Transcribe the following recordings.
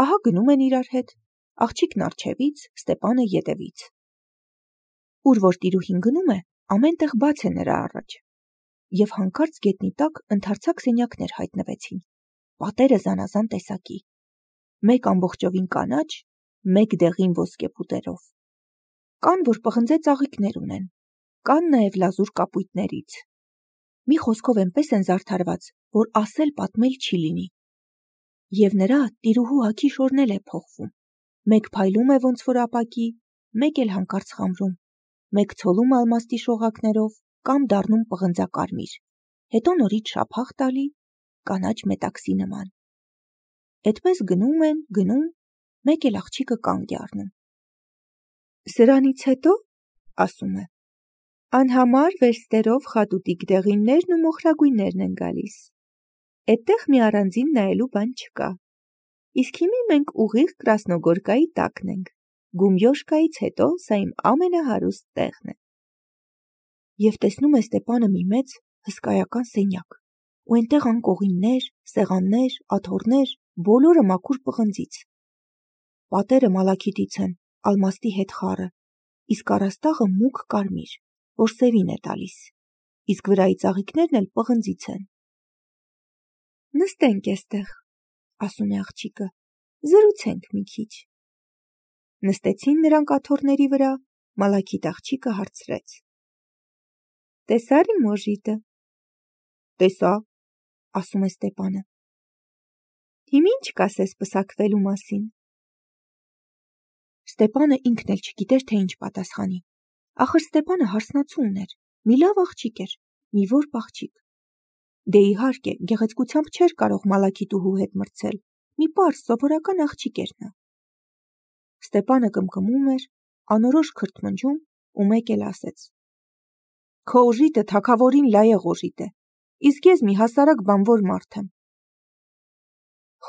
Ահա գնում են իրար հետ, աղջիկն առջևից, Ստեպանը ետևից։ Ուր որ տիրուհին գնում է, ամեն տեղ բաց է նրա առաջ։ Եվ հանկարծ գետնի տակ ընդարձակ սենյակներ հայտնվեցին, պատերը զանազան տեսակի, մեկ ամբողջովին կանաչ, մեկ դեղին ոսկեփուտերով։ Կան, որ պղնձե ծաղիկներ ունեն, կան նաև լազուր կապույտներից։ Մի խոսքով այնպես են զարդարված, որ ասել պատմել չի լինի։ Եվ նրա տիրուհու հագի շորն էլ է փոխվում, մեկ փայլում է ոնց որ ապակի, մեկ էլ հանկարծ խամրում, մեկ ցոլում ալմաստի շողակներով կամ դառնում պղնձակարմիր, հետո նորից շափախ տալի, կանաչ մետաքսի նման։ Էդպես գնում են, գնում, մեկ էլ աղջիկը կանգ է առնում։ Սրանից հետո, ասում է, անհամար վերստերով խատուտիկ դեղիններն ու մոխրագույններն են գալիս։ Էդտեղ մի առանձին նայելու բան չկա։ Իսկ հիմի մենք ուղիղ Կրասնոգորկայի տակն ենք։ Գումյոշկայից հետո սա իմ ամենահարուստ տեղն է։ Եվ տեսնում է Ստեպանը մի մեծ հսկայական սենյակ, ու այնտեղ անկողիններ, սեղաններ, աթոռներ, բոլորը մաքուր պղնձից։ Պատերը մալաքիթից են, ալմաստի հետ խառը, իսկ առաստաղը մուգ կարմիր, որ սևին է տալիս, իսկ վրայի ծաղիկներն էլ պղնձից են։ Նստենք էստեղ, ասում է աղջիկը, զրուցենք մի քիչ։ Նստեցին նրանք աթոռների վրա, մալաքիթ աղջիկը հարցրեց. Տեսա՞ր իմ օժիտը։ Տեսա, ասում է Ստեպանը։ Հիմա ինչ կասես պսակվելու մասին։ Ստեպանը ինքն էլ չգիտեր, թե ինչ պատասխանի։ Ախր Ստեպանը հարսնացու ուներ, մի լավ աղջիկ էր, մի որբ աղջիկ։ Դե իհարկե, գեղեցկությամբ չէր կարող մալաքիթուհու հետ մրցել, մի պարզ սովորական աղջիկ էր նա։ Ստեպանը կմկմում էր, անորոշ քրթմնջում ու մեկ էլ ասեց. Քո օժիտը թագավորին լայեղ օժիտ է, իսկ ես մի հասարակ բանվոր մարդ եմ։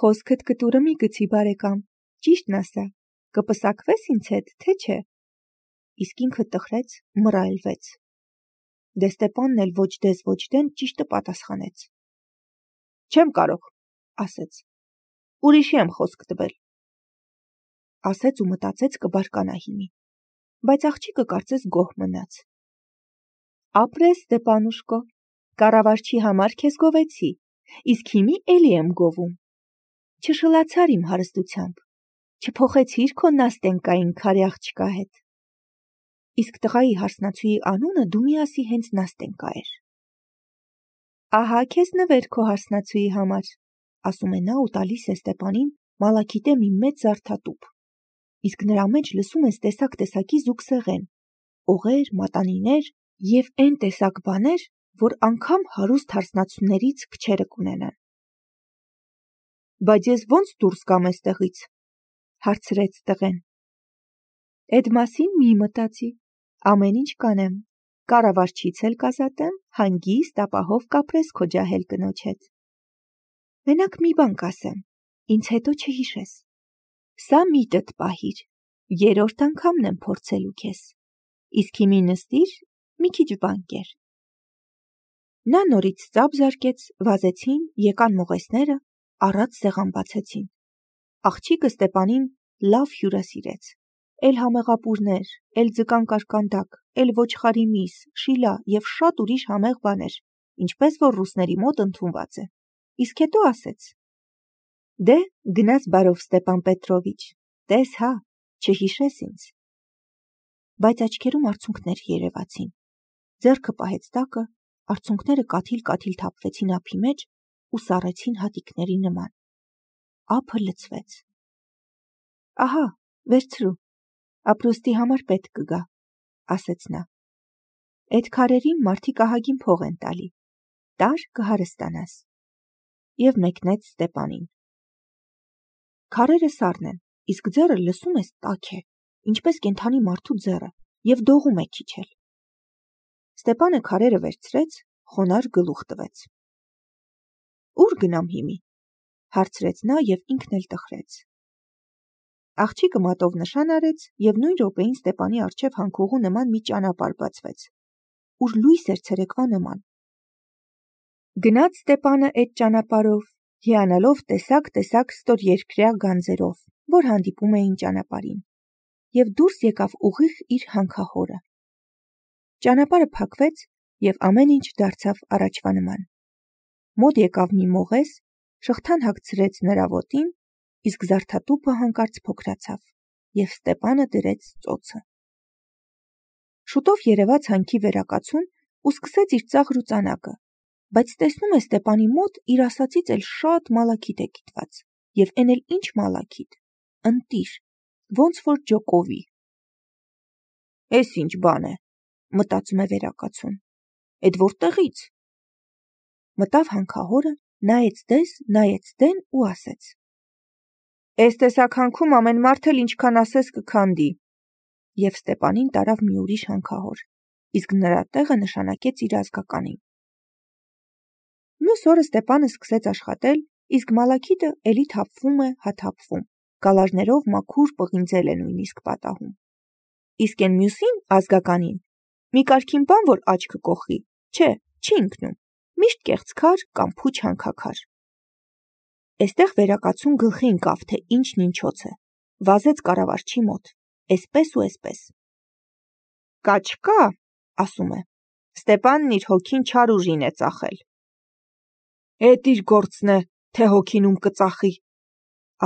Խոսքդ կտուրը մի գցի բարեկամ, ճիշտն ասա, կպսակվես ինձ հետ, թե չէ։ Իսկ ինքը տխրեց, մռայլվեց։ Դե Ստեպանն էլ ոչ դես ոչ դեն ճիշտը պատասխանեց։ Չեմ կարող, ասեց, ուրիշի եմ խոսք տվել։ Ասեց ու մտածեց կբարկանա հիմի, բայց աղջիկը կարծես գոհ մնաց։ Ապրես, Ստեպանուշկո, կառավարչի համար քեզ գովեցի, իսկ հիմի էլի եմ գովում։ Չշլացար իմ հարստությամբ, չփոխեցիր քո Նաստենկային քարե աղջկա հետ։ Իսկ տղայի հարսնացուի անունը դու միասի հենց Նաստենկա էր։ Ահա քեզ նվեր քո հարսնացուի համար, ասում է նա ու տալիս է Ստեպանին մալաքիթե մի մեծ զարդատուփ, իսկ նրա մեջ լսում ես տեսակ-տեսակի զուգսեղեն, օղեր, մատանիներ և այն տեսակ բաներ, որ անգամ հարուստ հարսնացուներից քչերը կունենան։ Բայց ես ո՞նց դուրս գամ էստեղից, հարցրեց տղեն։ Էդ մասին մի մտածի, ամեն ինչ կանեմ, կառավարչից էլ կազատեմ, հանգիստ ապահով կապրես քո ջահել կնոջ հետ։ Մենակ մի բան կասեմ, ինձ հետո չհիշես։ Սա միտդ պահիր, երրորդ անգամն եմ փորձելու քեզ, իսկ հիմի նստիր, մի քիչ բան կեր։ Նա նորից ծափ զարկեց, վազեցին, եկան մողեսները, առած սեղան բացեցին։ Աղջիկը Ստեպանին լավ հյուրասիրեց, էլ համեղապուրներ, էլ ձկան կարկանդակ, էլ ոչխարի միս, շիլա և շատ ուրիշ համեղ բաներ, ինչպես որ ռուսների մոտ ընդունված է։ Իսկ հետո ասեց. Դե, գնաս բարով Ստեպան Պետրովիչ, տես հա, չհիշես ինձ։ Բայց աչքերում արցունքներ երևացին, ձեռքը պահեց տակը, արցունքները կաթիլ-կաթիլ թափվեցին ափի մեջ ու սառեցին հատիկների նման։ Ափը լցվեց։ Ահա, վերցրու, ապրուստի համար պետք կգա, ասեց նա։ Էդ քարերին մարդիկ ահագին փող են տալի, տար կհարստանաս։ Եվ մեկնեց Ստեպանին։ Քարերը սառն են, իսկ ձեռը լսում ես տաք է, ինչպես կենդանի մարդու ձեռը, և դողում է քիչ էլ։ Ստեպանը քարերը վերցրեց, խոնարհ գլուխ տվեց։ Ուր գնամ հիմի, հարցրեց նա և ինքն էլ տխրեց։ Աղջիկը մատով նշան արեց և նույն րոպեին Ստեպանի առջև հանքուղու նման մի ճանապարհ բացվեց, ուր լույս էր ցերեկվա նման։ Գնաց Ստեպանը էդ ճանապարհով, հիանալով տեսակ ստորերկրյա գանձերով, որ հանդիպում էին ճանապարհին, և դուրս եկավ ուղիղ իր հանքահորը։ Ճանապարհը փակվեց, և ամեն ինչ դարձավ առաջվա նման։ Մոտ եկավ մի մողես, շղթան հագցրեց նրա ոտին, իսկ զարդատուփը հանկարծ փոքրացավ, և Ստեպանը դրեց ծոցը։ Շուտով երևաց հանքի վերակացուն ու սկսեց իր ծաղր ու ծանակը, բայց տեսնում է Ստեպանի մոտ իր ասածից էլ շատ մալաքիթ է կիտված, և էն էլ ինչ մալաքիթ, ընտիր, ոնց որ ջոկովի։ «Էս ինչ բան է», մտածում է վերակացուն, «էդ որտեղից»։ Մտավ հանքահորը, նայեց դես, նայեց դեն ու ասեց. «Էս տեսակ հանքում ամեն մարդ էլ ինչքան ասես կքանդի», և Ստեպանին տարավ մի ուրիշ հանքահոր, իսկ նրա տեղը նշանակեց իր ազգականին։ Մյուս օրը Ստեպանը սկսեց աշխատել, իսկ մալաքիթը էլի թափվում է, հաթափվում, գալաժներով մաքուր պղինձել է նույնիսկ պատահում։ Իսկ էն մյուսին, ազգականին, մի կարգին բան որ աչքը կոխի, չէ, չի ընկնում, միշտ կեղծքար կամ փուչ հանքաքար։ Էստեղ վերակացուն գլխի ընկավ, թե ինչն ինչոց է, վազեց կառավարչի մոտ, էսպես ու էսպես։ «Կա, ասում է, Ստեպանն իր հոգին չար ուժին է ծախել»։ «Էդ իր գործն է, թե հոգին ում կծախի»,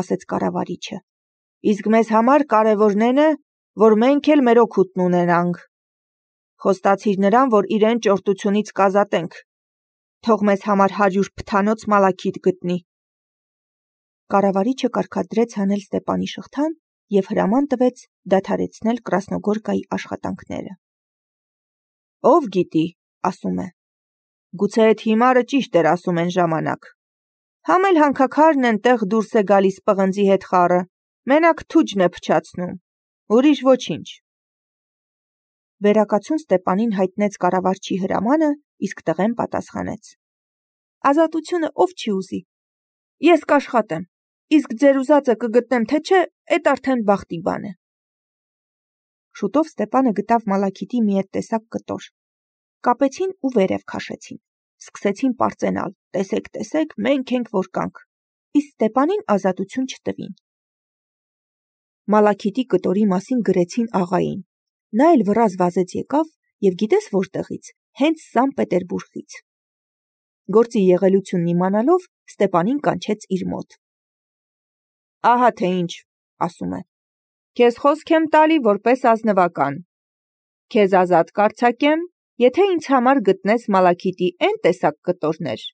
ասեց կառավարիչը, «իսկ մեզ համար կարևորն էն է, որ մենք էլ մեր օգուտն ունենանք։ Խոստացիր նրան, որ իրեն ճորտությունից կազատենք, թող մեզ համար 100 փթանոց մալաքիթ գտնի»։ Կառավարիչը կարգադրեց հանել Ստեպանի շղթան և հրաման տվեց դադարեցնել Կրասնոգորկայի աշխատանքները։ «Ով գիտի», ասում է, «գուցե էդ հիմարը ճիշտ էր ասում են ժամանակ։ Համ էլ հանքաքարն էնտեղ դուրս է գալիս պղնձի հետ խառը, մենակ թուջն է փչացնում, ուրիշ ոչինչ»։ Վերակացուն Ստեպանին հայտնեց կառավարչի հրամանը, իսկ տղեն պատասխանեց. «Ազատությունը ով չի ուզի։ Ես կաշխատեմ, իսկ ձեր ուզածը կգտնեմ թե չէ, էդ արդեն բախտի բան է»։ Շուտով Ստեպանը գտավ մալաքիթի մի էդ տեսակ կտոր։ Կապեցին ու վերև քաշեցին, սկսեցին պարծենալ, տեսեք, մենք ենք որ կանք, իսկ Ստեպանին ազատություն չտվին։ Մալաքիթի կտորի մասին գրեցին աղային, նա էլ վռազ վազեց եկավ և գիտես որտեղից, հենց Սան Պետերբուրգից։ Գործի եղելությունն իմանալով Ստեպանին կանչեց իր մոտ։ «Ահա թե ինչ», ասում է, «քեզ խոսք եմ տալի որպես ազնվական։ Քեզ ազատ կարձակեմ, եթե ինձ համար գտնես մալաքիթի էն տեսակ կտորներ,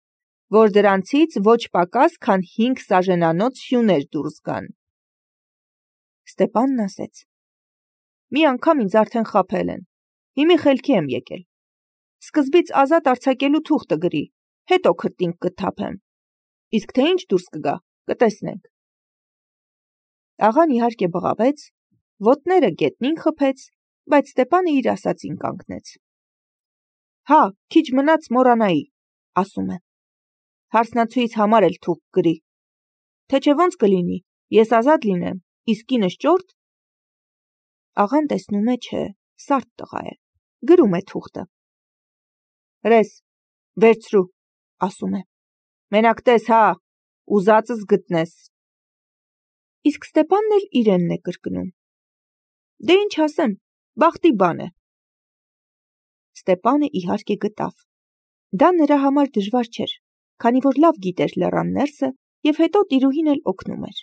որ դրանցից ոչ պակաս քան 5 սաժենանոց սյուներ դուրս գան»։ Ստեպանն ասեց. «Մի անգամ ինձ արդեն խաբել են, հիմի խելքի եմ եկել։ Սկզբից ազատ արձակելու թուղթը գրի, հետո քրտինք կթափեմ, իսկ թե ինչ դուրս կգա, կտեսնենք»։ Աղան իհարկե բղավեց, ոտները գետնին խփեց, բայց Ստեպանը իր ասածին կանգնեց։ «Հա, քիչ մնաց մոռանայի», ասում է, «հարսնացուից համար էլ թուղթ գրի, թե չէ ոնց կլինի, ես ազատ լինեմ, իսկ կինս ճորտ»։ Աղան տեսնում է, չէ, սարդ տղա է, գրում է թուղթը։ «Հրես, վերցրու», ասում է, «մենակ տես, հա, ուզածս գտնես»։ Իսկ Ստեպանն էլ իրենն է կրկնում. «Դե ինչ ասեմ, բախտի բան է»։ Ստեպանը իհարկե գտավ։ Դա նրա համար դժվար չէր, քանի որ լավ գիտեր լեռան ներսը և հետո տիրուհին էլ օգնում էր։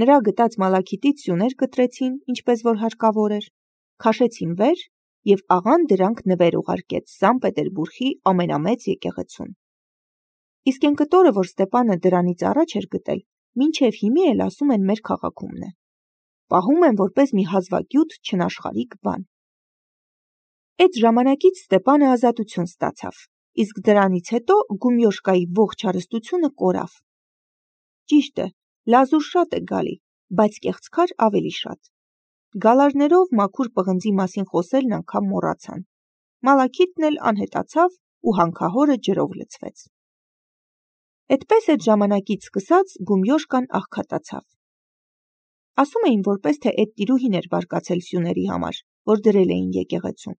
Նրա գտած մալաքիթից սյուներ կտրեցին, ինչպես որ հարկավոր էր, քաշեցին վեր և աղան դրանք նվեր ուղարկեց Սան Պետերբուրգի ամենամեծ եկեղեցուն։ Իսկ էն կտորը, որ Ստեպանը դրանից առաջ էր գտել, մինչև հիմի էլ ասում են մեր քաղաքումն է։ Պահում են որպես մի հազվագյուտ չնաշխարհիկ բան։ Էդ ժամանակից Ստեպանը ազատություն ստացավ, իսկ դրանից հետո Գումյոշկայի ողջ հարստությունը կորավ։ Ճիշտ է, լազուր շատ է գալի, բայց կեղծքար ավելի շատ։ Գալաժներով մաքուր պղնձի մասին խոսելն անգամ մոռացան։ Մալաքիթն էլ անհետացավ ու հանքահորը ջրով լցվեց։ Էդպես էդ ժամանակից սկսած Գումյոշկան աղքատացավ։ Ասում էին որպես թե էդ տիրուհին էր բարկացել սյուների համար, որ դրել էին եկեղեցում,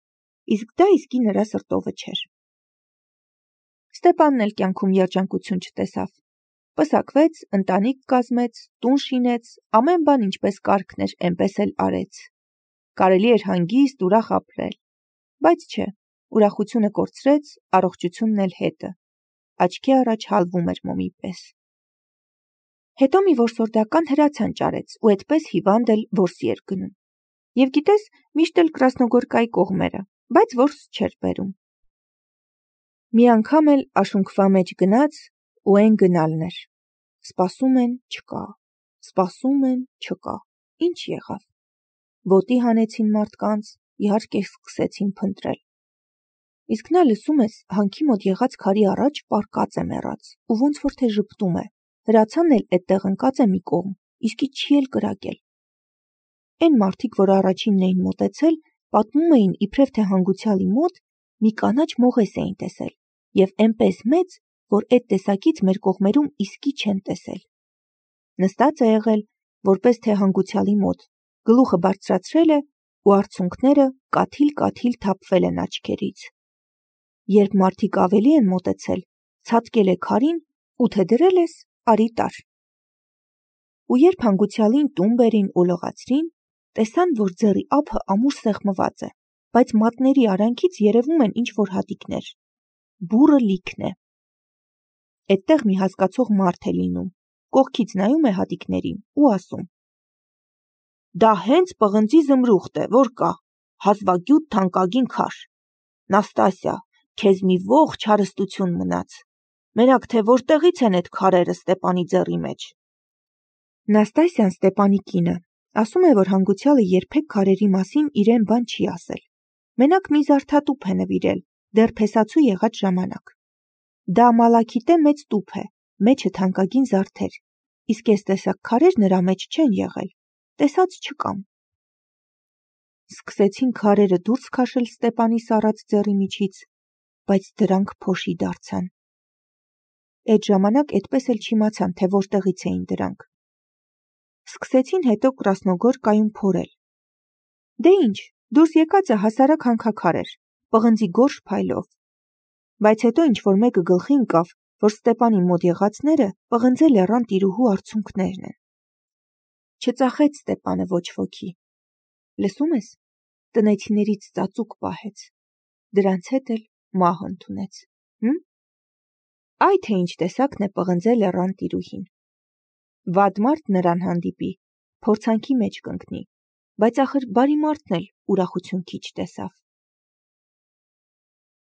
իսկ դա իսկի նրա սրտովը չէր։ Ստեպանն էլ կյանքում երջանկություն չտեսավ, Պսակվեց, ընտանիք կազմեց, տուն շինեց, ամեն բան ինչպես կարգն էր, էնպես էլ արեց։ Կարելի էր հանգիստ ուրախ ապրել, բայց չէ, ուրախությունը կորցրեց, առողջությունն էլ հետը։ Աչքի առաջ հալվում էր մոմի պես։ Հետո մի որսորդական հրացան ճարեց ու այդպես հիվանդ էլ որսի էր գնում։ Եվ գիտես, միշտ էլ Կրասնոգորկայի կողմերը, բայց որս չէր բերում։ Մի անգամ էլ աշունքվա մեջ գնաց ու այն գնալն էր։ Սպասում են, չկա, սպասում են, չկա, ինչ եղավ։ Ոտի հանեցին մարդկանց, իհարկե սկսեցին փնտրել։ Իսկ նա լսում ես, հանքի մոտ եղած քարի առաջ պառկած է մեռած ու ոնց որ թե ժպտում է, հրացանն էլ էդտեղ ընկած է մի կողմ, իսկի չի էլ կրակել։ Այն մարդիկ, որ առաջինն էին մոտեցել, պատմում էին իբրև թե հանգուցյալի մոտ մի կանաչ մողես էին տեսել և էնպես մեծ, որ այդ տեսակից մեր կողմերում իսկի չեն տեսել։ Նստած է եղել, որպես թե հանգուցյալի մոտ, գլուխը բարձրացրել է ու արցունքները կաթիլ-կաթիլ թափվել են աչքերից։ Երբ մարդիկ ավելի են մոտեցել, ցատկել է քարին ու թե դրել ես, արի տար։ Ու երբ հանգուցյալին տուն բերին ու լողացրին, տեսան, որ ձեռի ափը ամուր սեղմված է, բայց մատների արանքից երևում են ինչ-որ հատիկներ։ Բուռը լիքն է։ Էդտեղ մի հասկացող մարդ է լինում, կողքից նայում է հատիկներին ու ասում. «Դա հենց պղնձի զմրուխտ է, որ կա, հազվագյուտ թանկագին քար։ Նաստասիա, քեզ մի ողջ հարստություն մնաց։ Մենակ թե որտեղից են այդ քարերը Ստեպանի ձեռի մեջ»։ Նաստասիան Ստեպանի կինը ասում է, որ հանգուցյալը երբեք քարերի մասին իրեն բան չի ասել։ Մենակ մի զարդատուփ է նվիրել, դեռ փեսացու եղած ժամանակ։ Դա մալաքիտե մեծ տուփ է, մեջը թանկագին զարդեր, իսկ այս տեսակ քարեր նրա մեջ չեն եղել, տեսած չկամ։ Սկսեցին քարերը դուրս քաշել Ստեպանի սառած ձեռի միջից, բայց դրանք փոշի դարձան։ Այդ ժամանակ այդպես էլ չիմացան, թե որտեղից էին դրանք։ Սկսեցին հետո Կրասնոգորկայում փորել։ Դե ինչ, դուրս եկածը հասարակ հանքաքար էր, պղնձի գորշ փայլով։ Բայց հետո ինչ-որ մեկը գլխի ընկավ, որ Ստեպանի մոտ եղածները պղնձե լեռան տիրուհու արցունքներն են։ Չծախեց Ստեպանը ոչ ոքի։ Լսում ես, տնեցիներից ծածուկ պահեց, դրանց հետ էլ մահ ընդունեց։ Այ թե ինչ տեսակն է պղնձե լեռան տիրուհին։ Վատ մարդ նրան հանդիպի, փորձանքի մեջ կընկնի, բայց ախր բարի մարդն էլ ուրախություն քիչ տեսավ։